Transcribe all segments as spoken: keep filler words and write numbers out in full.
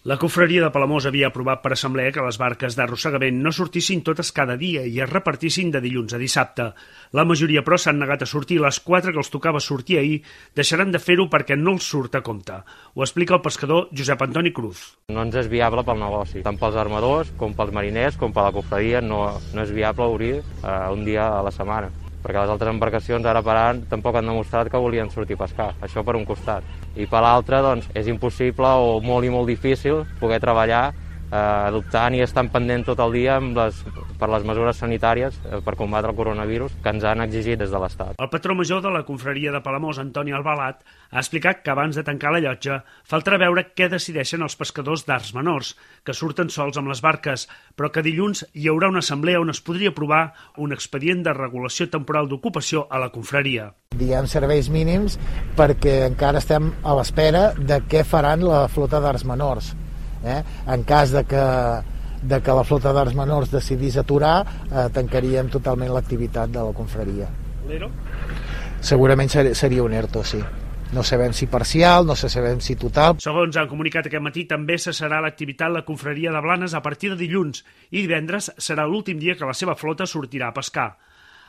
La confraria de Palamós havia aprovat per assemblea que les barques d'arrossegament no sortissin totes cada dia i es repartissin de dilluns a dissabte. La majoria, però, s'han negat a sortir. Les quatre que els tocava sortir ahir deixaran de fer-ho perquè no els surt a compte. Ho explica el pescador Josep Antoni Cruz. No ens és viable pel negoci. Tant pels armadors com pels mariners com per la confraria no, no és viable obrir eh, un dia a la setmana, perquè les altres embarcacions ara per ara tampoc han demostrat que volien sortir a pescar, això per un costat. I per l'altre, doncs, és impossible o molt i molt difícil poder treballar eh, adoptant i estant pendent tot el dia amb les, per les mesures sanitàries eh, per combatre el coronavirus que ens han exigit des de l'Estat. El patró major de la confraria de Palamós, Antoni Albalat, ha explicat que abans de tancar la llotja faltarà veure què decideixen els pescadors d'arts menors, que surten sols amb les barques, però que dilluns hi haurà una assemblea on es podria aprovar un expedient de regulació temporal d'ocupació a la confraria. Diguem serveis mínims perquè encara estem a l'espera de què faran la flota d'arts menors. Eh? En cas de que, de que la flota d'arts menors decidís aturar, eh, tancaríem totalment l'activitat de la confraria. L'E R O? Segurament ser, seria un ERTO, sí. No sabem si parcial, no sabem si total. Segons han comunicat aquest matí, també cessarà l'activitat la confraria de Blanes a partir de dilluns i divendres serà l'últim dia que la seva flota sortirà a pescar.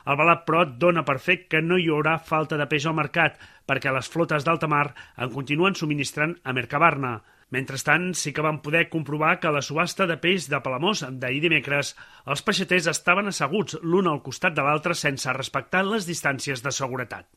El Balat, però, dona per fet que no hi haurà falta de peix al mercat perquè les flotes d'alta mar en continuen subministrant a Mercabarna. Mentrestant, sí que van poder comprovar que a la subhasta de peix de Palamós d'ahir dimecres els peixaters estaven asseguts l'un al costat de l'altre sense respectar les distàncies de seguretat.